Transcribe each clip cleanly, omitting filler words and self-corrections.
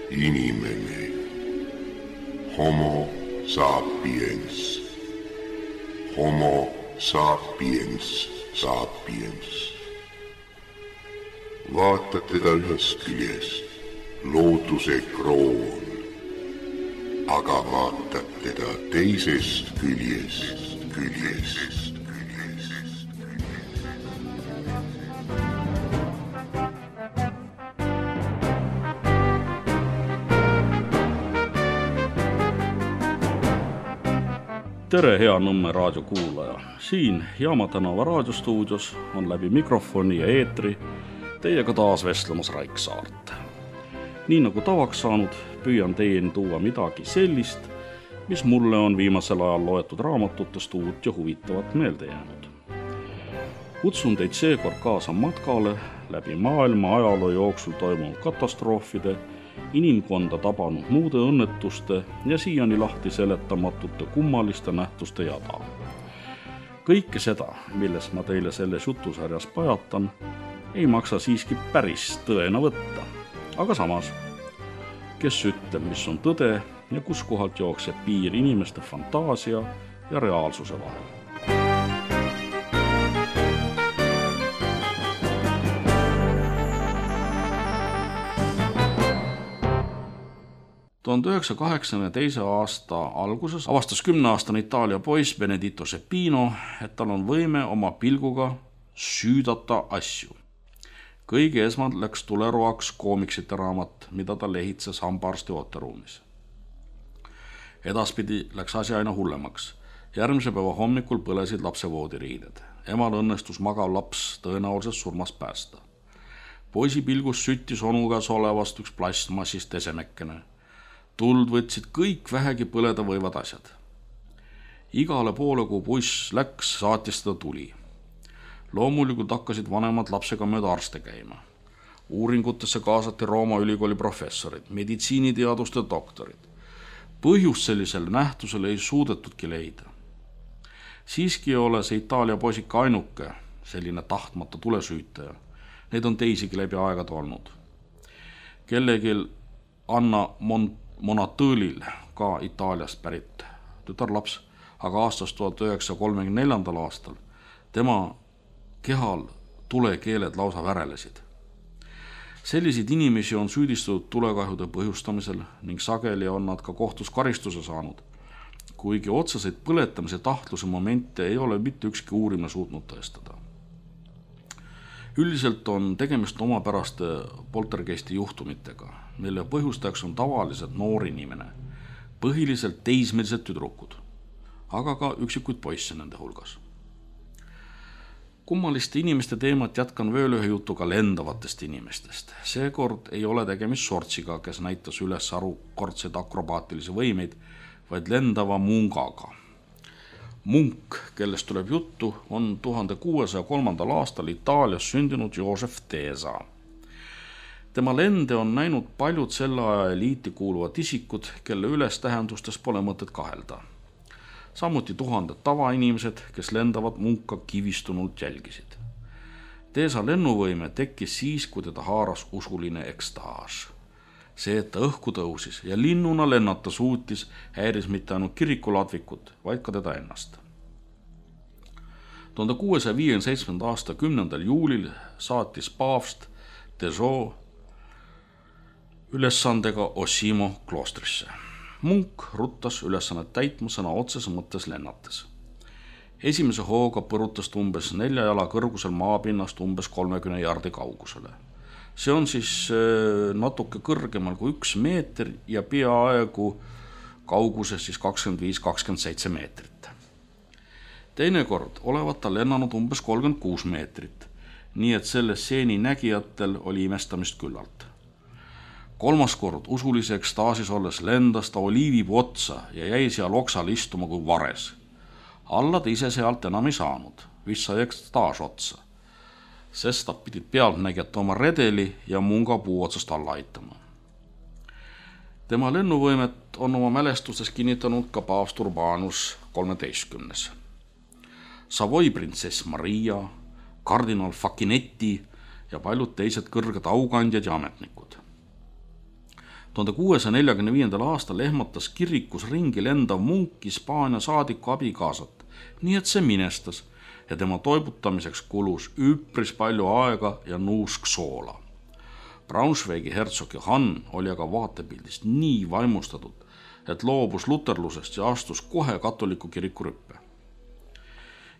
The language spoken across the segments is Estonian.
inimene. Homo sapiens. Homo sapiens sapiens. Vaatad teda ühest küljest, looduse kroon, aga vaatad teda teisest küljest. Tere, hea Nõmme raadiokuulaja! Siin Jaama tänava raadiostuudios on läbi mikrofoni ja eetri teiega taas vestlemas Raik Saart. Nii nagu tavaks saanud, püüan teieni tuua midagi sellist, mis mulle on viimasel ajal loetud raamatutest uut ja huvitavat meelde jäänud. Kutsun teid seekord kaasa matkale läbi maailma ajaloo jooksul toimunud katastroofide, inimkonda tabanud muude õnnetuste ja siiani lahti seletamatute kummaliste nähtuste jada. Kõike seda, millest ma teile selles jutusarjas pajatan, ei maksa siiski päris tõena võtta. Aga samas, kes ütleb, mis on tõde ja kus kohalt jookseb piir inimeste fantaasia ja reaalsuse vahel. 1982. aasta alguses avastas 10-aastane Itaalia poiss Benedetto Seppino, et tal on võime oma pilguga süüdata asju. Kõige esmalt läks tuleroaks koomiksite raamat, mida ta lehitses hambaarsti ooteruumis. Edaspidi läks asi aina hullemaks. Järgmise päeva hommikul põlesid lapse voodiriided. Emal õnnestus magav laps tõenäoliselt surmast päästa. Poisi pilgus süttis onu käes olevast üks plastmassist esemekene. Tuld võtsid kõik vähegi põleda võivad asjad. Igale poole, kui poiss läks, saatis teda tuli. Loomulikult hakkasid vanemad lapsega mööda arste käima. Uuringutesse kaasati Rooma ülikooli professorid, meditsiiniteaduste doktorid. Põhjus sellisele nähtusele ei suudetudki leida. Siiski ei ole see Itaalia poisika ainuke selline tahtmata tulesüütaja. Neid on teisigi läbi aegad olnud. Kellegil Anna Monatõlil, ka Itaaliast pärit tütarlaps, aga aastast 1934. aastal tema kehal tulekeeled lausa värelesid. Selliseid inimesi on süüdistatud tulekahjude põhjustamisel ning sageli on nad ka kohtus karistuse saanud, kuigi otseseid põletamise tahtluse momente ei ole mitte ükski uurimine suutnud tõestada. Üldiselt on tegemist omapäraste poltergeisti juhtumitega, mille põhjustajaks on tavaliselt noor inimene, põhiliselt teismelised tüdrukud, aga ka üksikuid poisse nende hulgas. Kummaliste inimeste teemat jätkan veel ühe jutuga lendavatest inimestest. Seekord ei ole tegemist sortsiga, kes näitas üles arukordseid akrobaatilisi võimeid, vaid lendava mungaga. Munk, kellest tuleb juttu, on 1603. aastal Itaalias sündinud Joseph Tesa. Tema lende on näinud paljud selle aja eliiti kuuluvad isikud, kelle ülestähendustes pole mõtet kahelda. Samuti tuhanded tavainimesed, kes lendavat munka kivistunult jälgisid. Tesa lennuvõime tekkis siis, kui teda haaras usuline ekstaas. See, et ta õhku tõusis ja linnuna lennata suutis, häiris mitte ainult kirikuladvikut, vaid ka teda ennast. 1657. aasta 10. juulil saatis paavst Deso ülesandega Osimo kloostrisse. Munk ruttas ülesannet täitma sõna otses mõttes lennates. Esimese hooga põrutas umbes 4 jala kõrgusel maapinnast umbes 30 jardi kaugusele. See on siis natuke kõrgemal kui 1 meeter ja peaaegu kauguses siis 25-27 meetrit. Teinekord olevat ta lennanud umbes 36 meetrit, nii et selle stseeni nägijatel oli imestamist küllalt. 3. kord usulise ekstaasis olles lendas ta oliivipuu otsa ja jäi seal oksal istuma kui vares. Alla ta ise sealt enam ei saanud, vist sai ekstaas otsa. Sest nad pidid pealtnägijat oma redeli ja munga puu otsast alla aitama. Tema lennuvõimet on oma mälestustes kinnitanud ka paavst Urbanus 13. Savoy printsess Maria, kardinal Facchinetti ja paljud teised kõrged aukandjad ja ametnikud. 1645. aastal ehmatas kirikus ringi lendav munk Hispaania saadiku abikaasat, nii et see minestas ja tema toibutamiseks kulus üpris palju aega ja nuusk soola. Braunschweigi hertsog Johann oli aga vaatepildist nii vaimustatud, et loobus luterlusest ja astus kohe katoliku kiriku rüppe.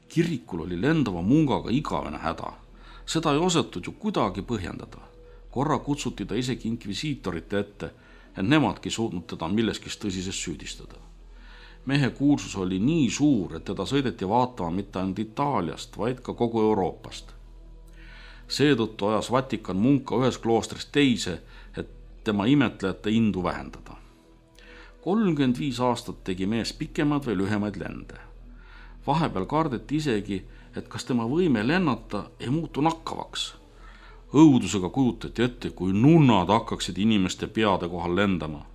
Kirikul oli lendava mungaga igavene häda. Seda ei osatud ju kuidagi põhjendada. Korra kutsuti ta isegi inkvisiitorite ette, et nemadki suutnud teda milleski tõsises süüdistada. Mehe kuulsus oli nii suur, et teda sõideti vaatama mitte ainult Itaaliast, vaid ka kogu Euroopast. Seetõttu ajas Vatikan munka ühes kloostrist teise, et tema imetlejate indu vähendada. 35 aastat tegi mees pikemad või lühemaid lende. Vahepeal kardeti isegi, et kas tema võime lennata ei muutu nakkavaks. Õudusega kujutati ette, kui nunnad hakkaksid inimeste peade kohal lendama.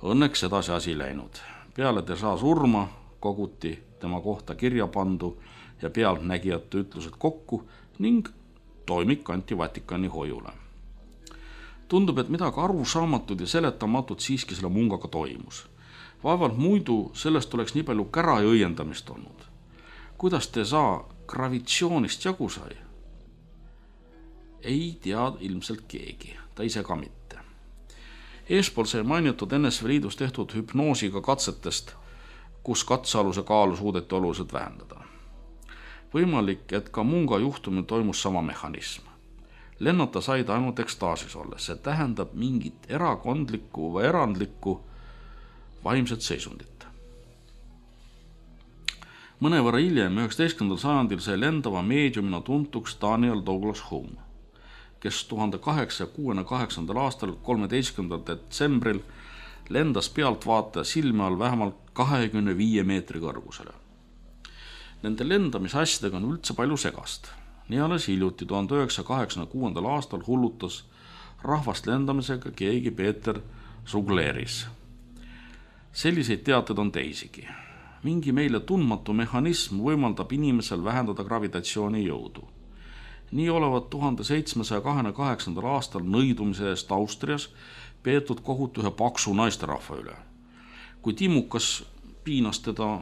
Õnneks edasi asi läinud. Peale Dessau surma koguti tema kohta kirja pandu ja pealtnägijate ütlused kokku ning toimik anti Vatikani hoiule. Tundub, et midagi arusaamatud ja seletamatut siiski selle mungaga toimus. Vaevalt muidu sellest oleks nii palju kära ja õiendamist olnud. Kuidas Dessau gravitsioonist jagu sai? Ei tea ilmselt keegi, ta ise ka mitte. Eespool sai mainitud NSV Liidus tehtud hüpnoosiga katsetest, kus katsealuse kaalu suudeti oluliselt vähendada. Võimalik, et ka munga juhtumil toimus sama mehhanism. Lennata sai ta ainult ekstaasis olles, see tähendab mingit erakondlikku või erandlikku vaimset seisundit. Mõnevõrra hiljem 19. sajandil sai lendava meediumina tuntuks Daniel Douglas Home, kes 1868. aastal 13. detsembril lendas pealtvaataja silme all vähemalt 25 meetri kõrgusele. Nende lendamisasjadega on üldse palju segast. Nii alles hiljuti 1986. aastal hullutas rahvast lendamisega keegi Peeter Zugleris. Selliseid teateid on teisigi. Mingi meile tundmatu mehhanism võimaldab inimesel vähendada gravitatsiooni jõudu. Nii olevat 1728. aastal nõidumise eest Austrias peetud kohut ühe paksu naisterahva üle. Kui timukas piinas teda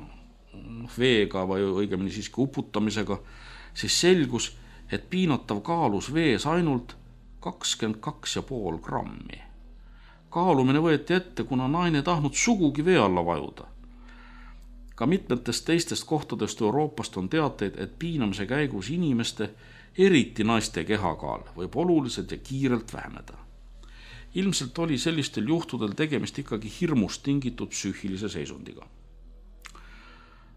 veega või õigemini siiski uputamisega, siis selgus, et piinatav kaalus vees ainult 22,5 grammi. Kaalumine võeti ette, kuna naine tahtnud sugugi vee alla vajuda. Ka mitmetest teistest kohtadest Euroopast on teateid, et piinamise käigus inimeste, eriti naiste kehakaal, võib oluliselt ja kiirelt väheneda. Ilmselt oli sellistel juhtudel tegemist ikkagi hirmust tingitud psüühilise seisundiga.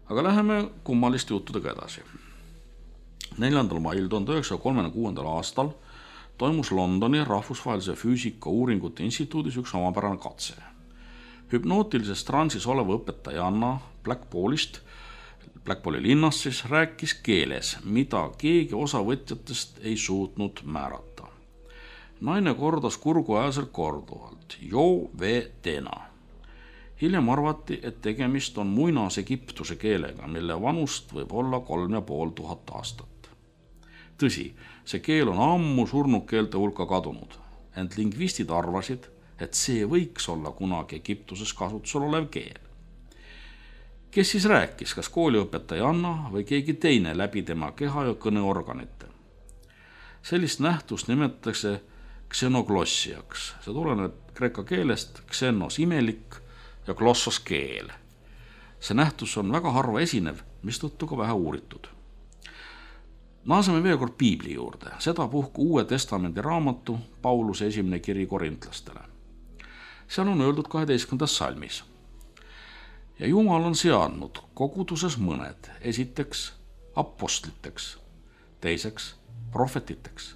Aga läheme kummaliste juttudega edasi. 4. mail 1936. aastal toimus Londoni rahvusvahelise füüsika uuringute instituudis üks omapärane katse. Hüpnootilises transis oleva õpetajanna Blackpooli linnas siis rääkis keeles, mida keegi osavõtjatest ei suutnud määrata. Naine kordas kurguajaselt korduvalt, jo ve tena. Hiljem arvati, et tegemist on muinas-egiptuse keelega, mille vanust võib olla 3500 aastat. Tõsi, see keel on ammu surnud keelte hulka kadunud, ent lingvistid arvasid, et see võiks olla kunagi Egiptuses kasutusel olev keel. Kes siis rääkis, kas kooliõpetajanna või keegi teine läbi tema keha ja kõneorganite? Sellist nähtust nimetatakse ksenoglossiaks. See tuleneb kreeka keelest ksenos imelik ja glossos keel. See nähtus on väga harva esinev, mistõttu ka vähe uuritud. Naaseme veel kord Piibli juurde, sedapuhku Uue Testamendi raamatu Pauluse esimene kiri korintlastele. Seal on öeldud 12. salmis. Ja Jumal on seadnud koguduses mõned, esiteks apostliteks, teiseks prohvetiteks,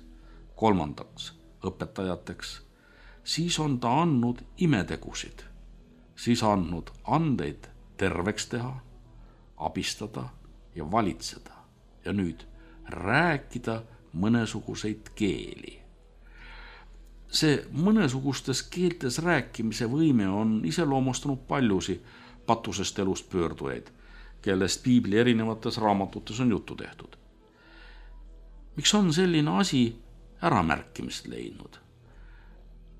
kolmandaks õpetajateks, siis on ta andnud imetegusid, siis andnud andeid terveks teha, abistada ja valitseda ja nüüd rääkida mõnesuguseid keeli. See mõnesugustes keeltes rääkimise võime on iseloomustanud paljusi patusest elust pöördujaid, kellest Piibli erinevates raamatutes on juttu tehtud. Miks on selline asi äramärkimist leidnud?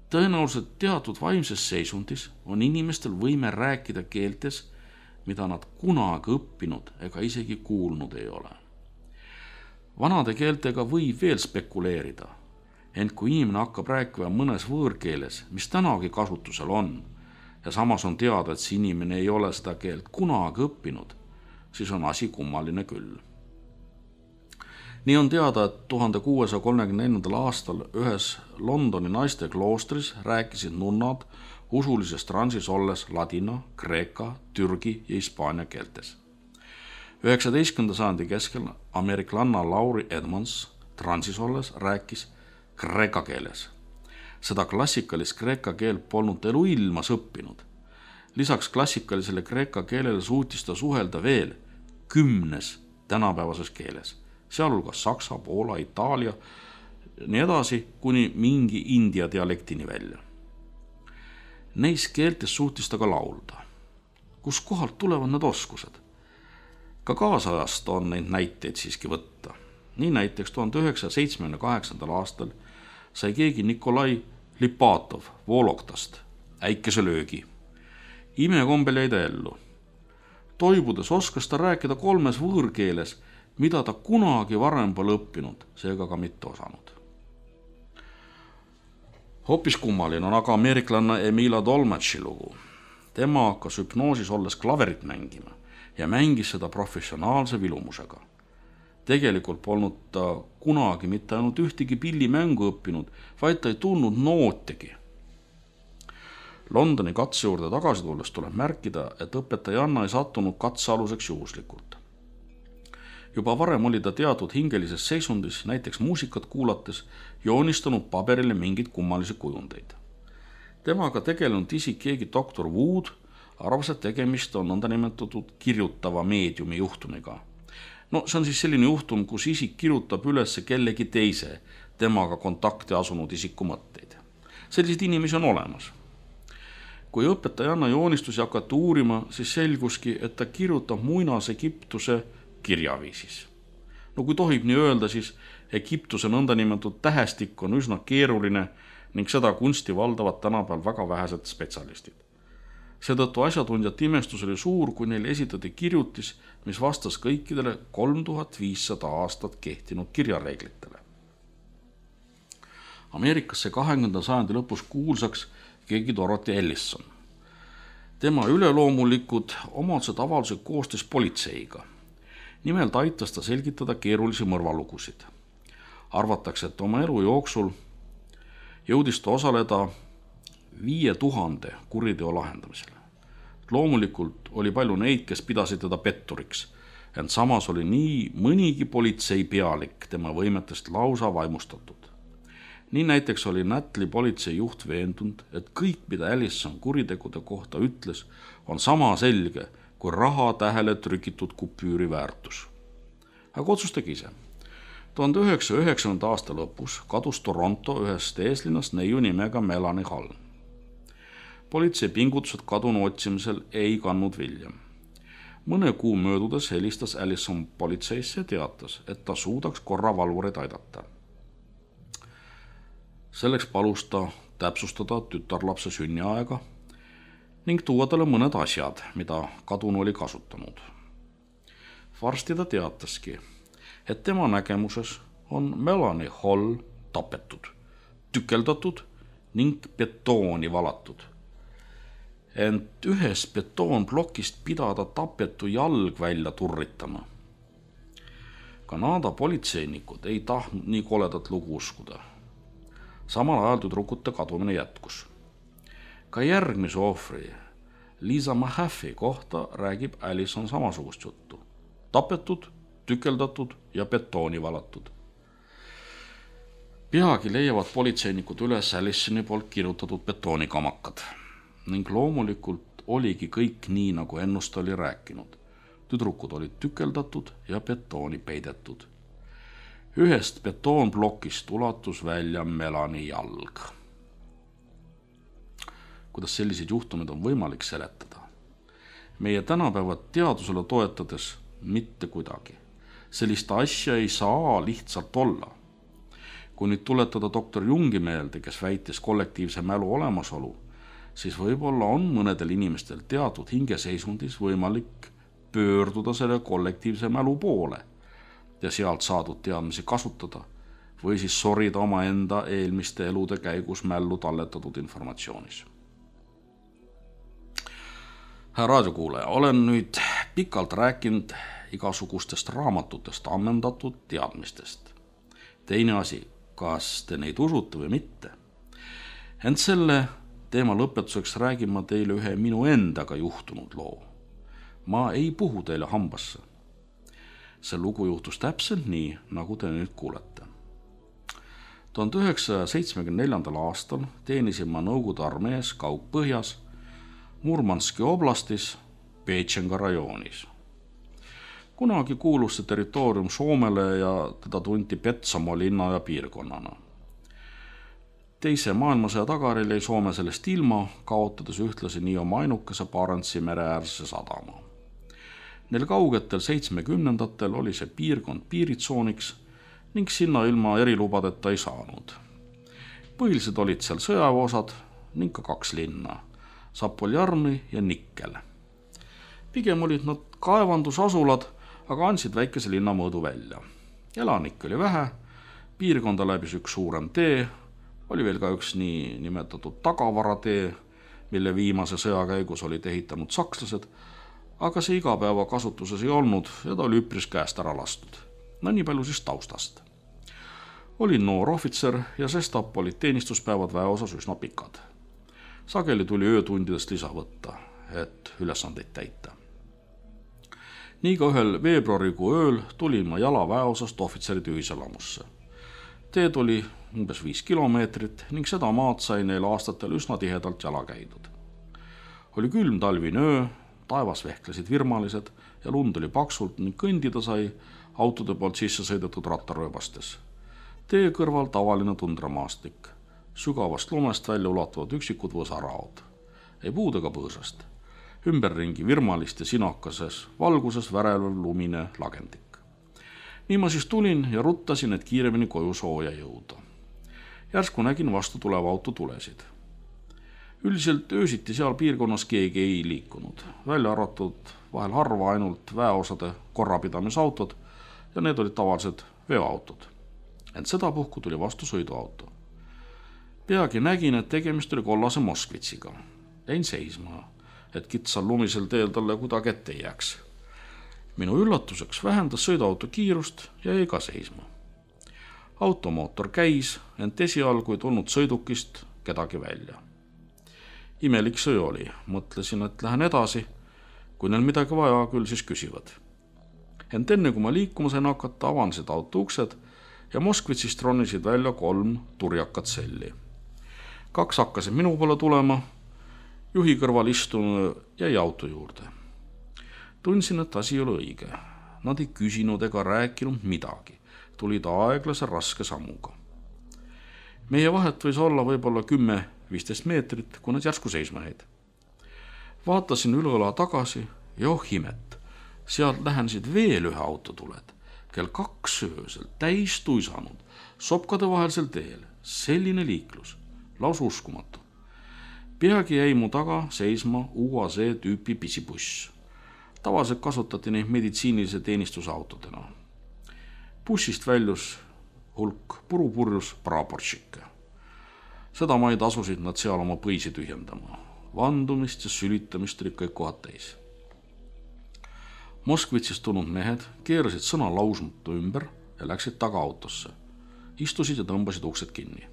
Tõenäoliselt teatud vaimses seisundis on inimestel võime rääkida keeltes, mida nad kunagi õppinud ega isegi kuulnud ei ole. Vanade keeltega võib veel spekuleerida, ent kui inimene hakkab rääkima mõnes võõrkeeles, mis tänagi kasutusel on, ja samas on teada, et see inimene ei ole seda keelt kunagi õppinud, siis on asi kummaline küll. Nii on teada, et 1634. aastal ühes Londoni naiste kloostris rääkisid nunnad usulises transis olles ladina, kreeka, türgi ja hispaania keeltes. 19. sajandi keskel ameeriklanna Laurie Edmonds transis olles rääkis kreeka keeles. Seda klassikalist kreeka keelt polnud eluilmas õppinud. Lisaks klassikalisele kreeka keelele suutis ta suhelda veel 10 tänapäevases keeles, sealhulgas saksa, poola, itaalia, nii edasi kuni mingi india dialektini välja. Neis keeltes suutis ta ka laulda. Kus kohalt tulevad need oskused? Ka kaasajast on neid näiteid siiski võtta. Nii näiteks 1978. aastal sai keegi Nikolai Lipatov Voloktast äikeselöögi. Imekombel jäi ta ellu. Toibudes oskas ta rääkida 3 võõrkeeles, mida ta kunagi varem pole õppinud, seega ka mitte osanud. Hoopis kummaline on aga ameeriklanna Emila Dolmetši lugu. Tema hakkas hüpnoosis olles klaverit mängima ja mängis seda professionaalse vilumusega. Tegelikult polnud ta kunagi mitte ainult ühtegi pillimängu õppinud, vaid ta ei tundnud nootigi. Londoni katse juurde tagasi tulles tuleb märkida, et õpetajanna ei sattunud katsealuseks juhuslikult. Juba varem oli ta teatud hingelises seisundis, näiteks muusikat kuulates, joonistanud paberile mingeid kummalisi kujundeid. Temaga tegelenud isik keegi doktor Wood arvas, et tegemist on nõndanimetatud kirjutava meediumi juhtumiga. See on siis selline juhtum, kus isik kirjutab üles kellegi teise temaga kontakti asunud isiku mõtteid. Selliseid inimesi on olemas. Kui õpetajanna joonistusi hakati uurima, siis selguski, et ta kirjutab Muinas-Egiptuse kirjaviisis. Kui tohib nii öelda, siis Egiptuse nõndanimetatud tähestik on üsna keeruline ning seda kunsti valdavad tänapäeval väga vähesed spetsialistid. Seetõttu asjatundjate imestus oli suur, kui neile esitati kirjutis, mis vastas kõikidele 3500 aastat kehtinud kirjareeglitele. Ameerikasse 20. sajandi lõpus kuulsaks keegi Dorothy Ellison. Tema üleloomulikud omadused avaldused koostöös politseiga. Nimelt aitas ta selgitada keerulisi mõrvalugusid. Arvatakse, et oma elu jooksul jõudis ta osaleda 5000 kuriteo lahendamisel. Loomulikult oli palju neid, kes pidasid teda petturiks, ent samas oli nii mõnigi politsei pealik tema võimetest lausa vaimustatud. Nii näiteks oli Natli politsei juht veendunud, et kõik, mida Ellison kuritegude kohta ütles, on sama selge kui raha tähele trükitud kupüüri väärtus. Aga otsustage ise. 1909. aasta lõpus kadus Toronto ühest eeslinnast neiu nimega Melanie Hall. Politsei pingutused kadunu otsimisel ei kandnud vilja. Mõne kuu möödudes helistas Ellison politseisse ja teatas, et ta suudaks korravalvureid aidata. Selleks palus ta täpsustada tütarlapse sünniaega ning tuua talle mõned asjad, mida kadunu oli kasutanud. Varsti ta teataski, et tema nägemuses on Melanie Hall tapetud, tükeldatud ning betooni valatud. Ent ühes betoonplokist pidada tapetu jalg välja turritama. Kanada politseinikud ei tahtnud nii koledat lugu uskuda. Samal ajal tüdrukute kadumine jätkus. Ka järgmise ohvri, Lisa Mahaffey kohta räägib Ellison samasugust juttu. Tapetud, tükeldatud ja betooni valatud. Peagi leiavad politseinikud üles Ellisoni poolt kirjutatud betoonikamakad. Ning loomulikult oligi kõik nii, nagu ennust oli rääkinud. Tüdrukud olid tükeldatud ja betooni peidetud. Ühest betoonplokist ulatus välja Melanie jalg. Kuidas selliseid juhtumeid on võimalik seletada? Meie tänapäeva teadusele toetades mitte kuidagi. Sellist asja ei saa lihtsalt olla. Kui nüüd tuletada doktor Jungi meelde, kes väitis kollektiivse mälu olemasolu, siis võib-olla on mõnedel inimestel teatud hingeseisundis võimalik pöörduda selle kollektiivse mälu poole ja sealt saadud teadmisi kasutada või siis sorida omaenda eelmiste elude käigus mällu talletatud informatsioonis. Hea raadiokuulaja, olen nüüd pikalt rääkinud igasugustest raamatutest ammendatud teadmistest. Teine asi, kas te neid usute või mitte. Ent selle teema lõpetuseks räägin ma teile ühe minu endaga juhtunud loo. Ma ei puhu teile hambasse. See lugu juhtus täpselt nii, nagu te nüüd kuulete. 1974. aastal teenisin ma Nõukogude armees Kaug-Põhjas Murmanski oblastis Petšenga rajoonis. Kunagi kuulus see territoorium Soomele ja teda tunti Petsamoo linna ja piirkonnana. Teise maailmasõja tagajärjel jäi Soome sellest ilma, kaotades ühtlasi nii oma ainukese Barentsi mereäärse sadama. Neil kaugetel 70-ndatel oli see piirkond piiritsooniks ning sinna ilma erilubadeta ei saanud. Põhilised olid seal sõjaväeosad ning ka 2 linna, Zapoljarny ja Nikkel. Pigem olid nad kaevandusasulad, aga andsid väikese linna mõõdu välja. Elanikke oli vähe, piirkonda läbis üks suurem tee, oli veel ka üks nii nimetatud tagavaratee, mille viimase sõja käigus olid ehitanud sakslased, aga see igapäeva kasutuses ei olnud ja ta oli üpris käest ära lastud. No nii palju siis taustast. Olin noor ohvitser ja sestap olid teenistuspäevad väeosas üsna pikad. Sageli tuli öötundidest lisa võtta, et ülesandeid täita. Nii ka ühel veebruarikuu ööl tulin ma jala väeosast ohvitseride ühiselamusse. Teed oli umbes 5 kilomeetrit ning seda maad sai neil aastatel üsna tihedalt jala käidud. Oli külm talvine öö, taevas vehklesid virmalised ja lund oli paksult ning kõndida sai autode poolt sisse sõidetud rattarööbastes. Tee kõrval tavaline tundramaastik, sügavast lumest välja ulatuvad üksikud võsaraod, ei puud ega põõsast, ümberringi virmalist ja sinakases valguses värelev lumine lagendik. Nii ma siis tulin ja ruttasin, et kiiremini koju sooja jõuda. Järsku nägin vastu tuleva auto tulesid. Üldiselt öösiti seal piirkonnas keegi ei liikunud, välja arvatud vahel harva ainult väeosade korrapidamisautod ja need olid tavalised veoautod. Ent sedapuhku tuli vastu sõiduauto. Peagi nägin, et tegemist oli kollase Moskvitsiga. Jäin seisma, et kitsal lumisel teel talle kuidagi ette ei jääks. Minu üllatuseks vähendas sõiduauto kiirust ja jäi ka seisma. Automootor käis, ent esialgu ei tulnud sõidukist kedagi välja. Imelik see oli, mõtlesin, et lähen edasi, kui neil midagi vaja, küll siis küsivad. Ent enne kui ma liikuma sain hakata, avanesid auto uksed ja Moskvitsist ronisid välja 3 turjakat selli. 2 hakkasid minu poole tulema, juhi kõrval istunu jäi auto juurde. Tundsin, et asi ei ole õige. Nad ei küsinud ega rääkinud midagi, tulid aeglase raske sammuga. Meie vahet võis olla võib-olla 10-15 meetrit, kui nad järsku seisma jäid. Vaatasin üleõla tagasi ja imet, sealt lähenesid veel ühe autotuled, kell 2 öösel täis tuisanud, sopkade vahelsel teel, selline liiklus, laus uskumatu. Peagi jäi mu taga seisma UAZ tüüpi pisibuss. Tavaliselt kasutati neid meditsiinilise teenistusautodena. Bussist väljus hulk purupurjus praporšikke. Sedamaid asusid nad seal oma põisi tühjendama. Vandumist ja sülitamist olid kõik kohad täis. Moskvitsist tulnud mehed keerasid sõna lausmatu ümber ja läksid taga autosse. Istusid ja tõmbasid uksed kinni.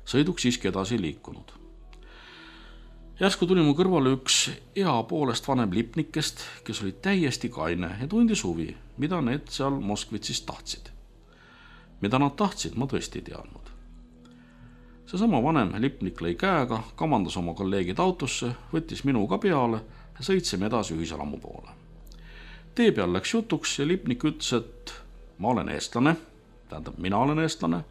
Sõiduk siiski edasi ei liikunud. Järsku tuli mu kõrvale üks poolest vanem lipnikest, kes oli täiesti kaine ja tundis huvi, mida need seal Moskvitsist tahtsid. Mida nad tahtsid, ma tõesti ei teadnud. Seesama vanem lipnik lõi käega, kamandas oma kolleegid autosse, võttis minuga peale ja sõitsime edasi ühiselamu poole. Tee peal läks jutuks ja lipnik ütles, et ma olen eestlane, tähendab mina olen eestlane,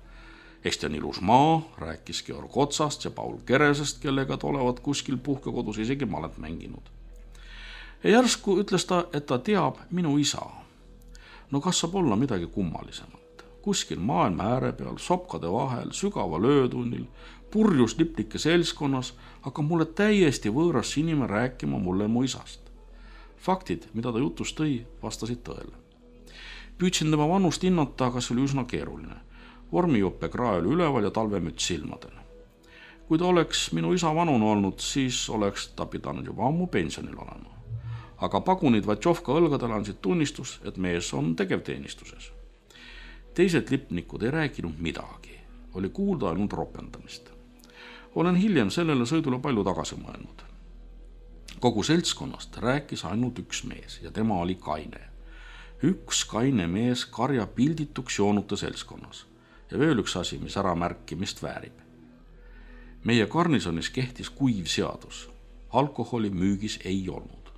Eesti on ilus maa, rääkis Georg Otsast ja Paul Keresest, kellega olevat kuskil puhkekodus isegi malet mänginud. Ja järsku ütles ta, et ta teab minu isa. No kas saab olla midagi kummalisemat? kuskil maailma ääre peal, sopkade vahel, sügaval öötunnil, purjus liplike seltskonnas, hakkab mulle täiesti võõras inimene rääkima mulle mu isast. Faktid, mida ta jutus tõi, vastasid tõele. Püüdsin tema vanust hinnata, aga see oli üsna keeruline. Vormijuppe krae oli üleval ja talvemüts silmadel. Kui ta oleks minu isa vanune olnud, siis oleks ta pidanud juba ammu pensionil olema. Aga pagunid Vatšovka õlgadel andsid tunnistus, et mees on tegevteenistuses. Teised lipnikud ei rääkinud midagi. Oli kuulda ainult ropendamist. Olen hiljem sellele sõidule palju tagasi mõelnud. Kogu seltskonnast rääkis ainult üks mees ja tema oli kaine. Üks kaine mees karja pildituks joonuta seltskonnas. Ja veel üks asi, mis ära märkimist väärib. Meie garnisonis kehtis kuiv seadus. Alkoholi müügis ei olnud.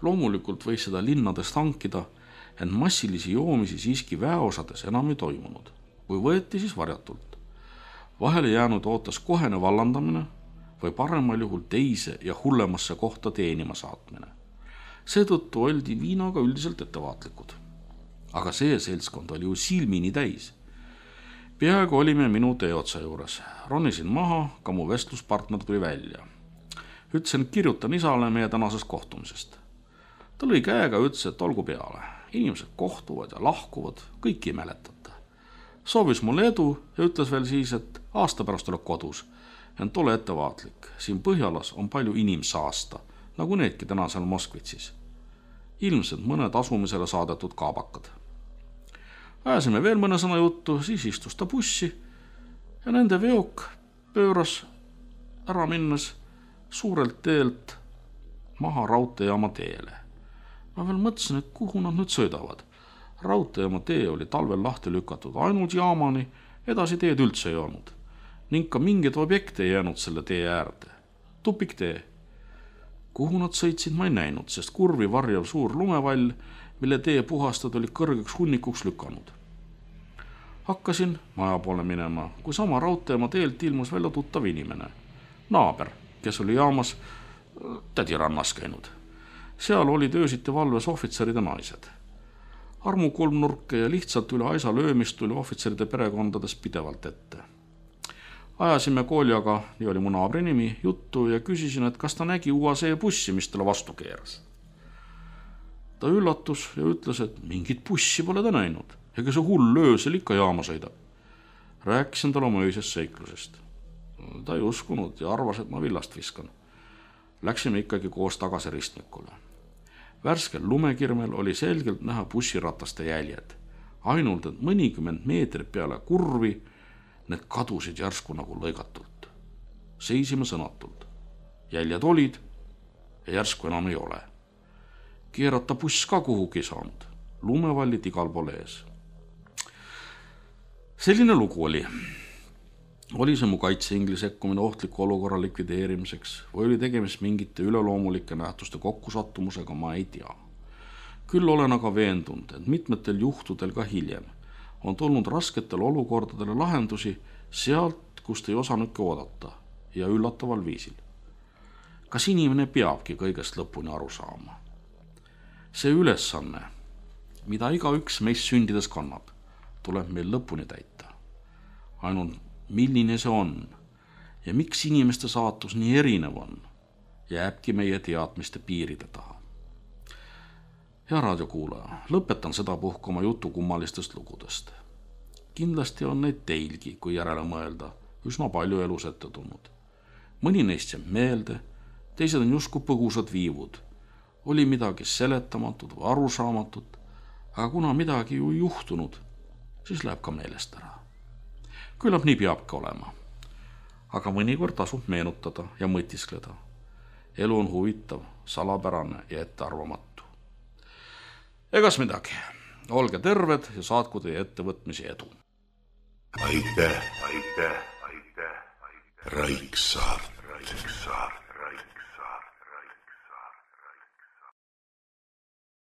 Loomulikult võis seda linnades tankida, ent massilisi joomisi siiski väeosades enam ei toimunud. Kui võeti, siis varjatult. Vahele jäänud ootas kohene vallandamine või paremal juhul teise ja hullemasse kohta teenima saatmine. Seetõttu oldi viinaga üldiselt ettevaatlikud. Aga see seltskond oli ju silmini täis. Peaaegu olime minu teeotsa juures. Ronisin maha, ka mu vestluspartner tuli välja. Ütlesin, kirjutan isale meie tänasest kohtumisest. Ta lõi käega, ütles, et olgu peale. Inimesed kohtuvad ja lahkuvad, kõiki ei mäletata. Soovis mulle edu ja ütles veel siis, et aasta pärast oled kodus. Ent ole ettevaatlik. Siin Põhjalas on palju inimsaasta, nagu needki täna seal Moskvitsis. Ilmselt mõned asumisele saadetud kaabakad. Ajasime veel mõne sõna juttu, siis istus ta bussi ja nende veok pööras ära minnes suurelt teelt maha raudteejaama teele. Ma veel mõtlesin, et kuhu nad nüüd sõidavad. Raudteejaama tee oli talvel lahti lükatud ainult jaamani, edasi teed üldse ei olnud. Ning ka mingid objekte ei jäänud selle tee äärde. Tupik tee. Kuhu nad sõitsid, ma ei näinud, sest kurvi varjav suur lumevall, mille tee puhastad oli kõrgeks hunnikuks lükanud. Hakkasin maja poole minema, kui sama raudteema teelt ilmus välja tuttav inimene. Naaber, kes oli jaamas tädirannas käinud. Seal olid öösiti valves ohvitserid ja naised. Armu kolmnurke ja lihtsalt üle aisa löömist tuli ohvitseride perekondades pidevalt ette. Ajasime Koljaga, nii oli mu naabri nimi, juttu ja küsisin, et kas ta nägi UAC bussi, mis talle vastu keeras. Ta üllatus ja ütles, et mingit bussi pole ta näinud, ega see hull öösel ikka jaama sõidab. Rääkisin talle oma öisest seiklusest. Ta ei uskunud ja arvas, et ma villast viskan. Läksime ikkagi koos tagasi ristmikule. Värskel lumekirmel oli selgelt näha bussirataste jäljed. Ainult, et mõnikümmend meetrit peale kurvi need kadusid järsku nagu lõigatult. Seisime sõnatult. Jäljed olid ja järsku enam ei ole. Keerata buss ka kuhugi saanud. Lumevallid igal pool ees. Selline lugu oli. Oli see mu kaitseingli sekkumine ohtliku olukorra likvideerimiseks või oli tegemist mingite üleloomulike nähtuste kokkusattumusega, ma ei tea. Küll olen aga veendunud, et mitmetel juhtudel ka hiljem on tulnud rasketel olukordadele lahendusi sealt, kust ei osanudki oodata ja üllataval viisil. Kas inimene peabki kõigest lõpuni aru saama? See ülesanne, mida iga üks meist sündides kannab, tuleb meil lõpuni täita. Ainult milline see on ja miks inimeste saatus nii erinev on, jääbki meie teadmiste piiride taha. Hea raadiokuulaja, lõpetan seda puhku oma jutu kummalistest lugudest. Kindlasti on neid teilgi, kui järele mõelda, üsna palju elus ette tulnud. Mõni neist jääb meelde, teised on justkui põgusad viivud. Oli midagi seletamatut või arusaamatut, aga kuna midagi ju juhtunud, siis läheb ka meelest ära. Küllap nii peabki olema. Aga mõnikord tasub meenutada ja mõtiskleda. Elu on huvitav, salapärane ja ettearvamatu. Egas midagi. Olge terved ja saatku teie ettevõtmisi edu. Aitäh. Raiksaart.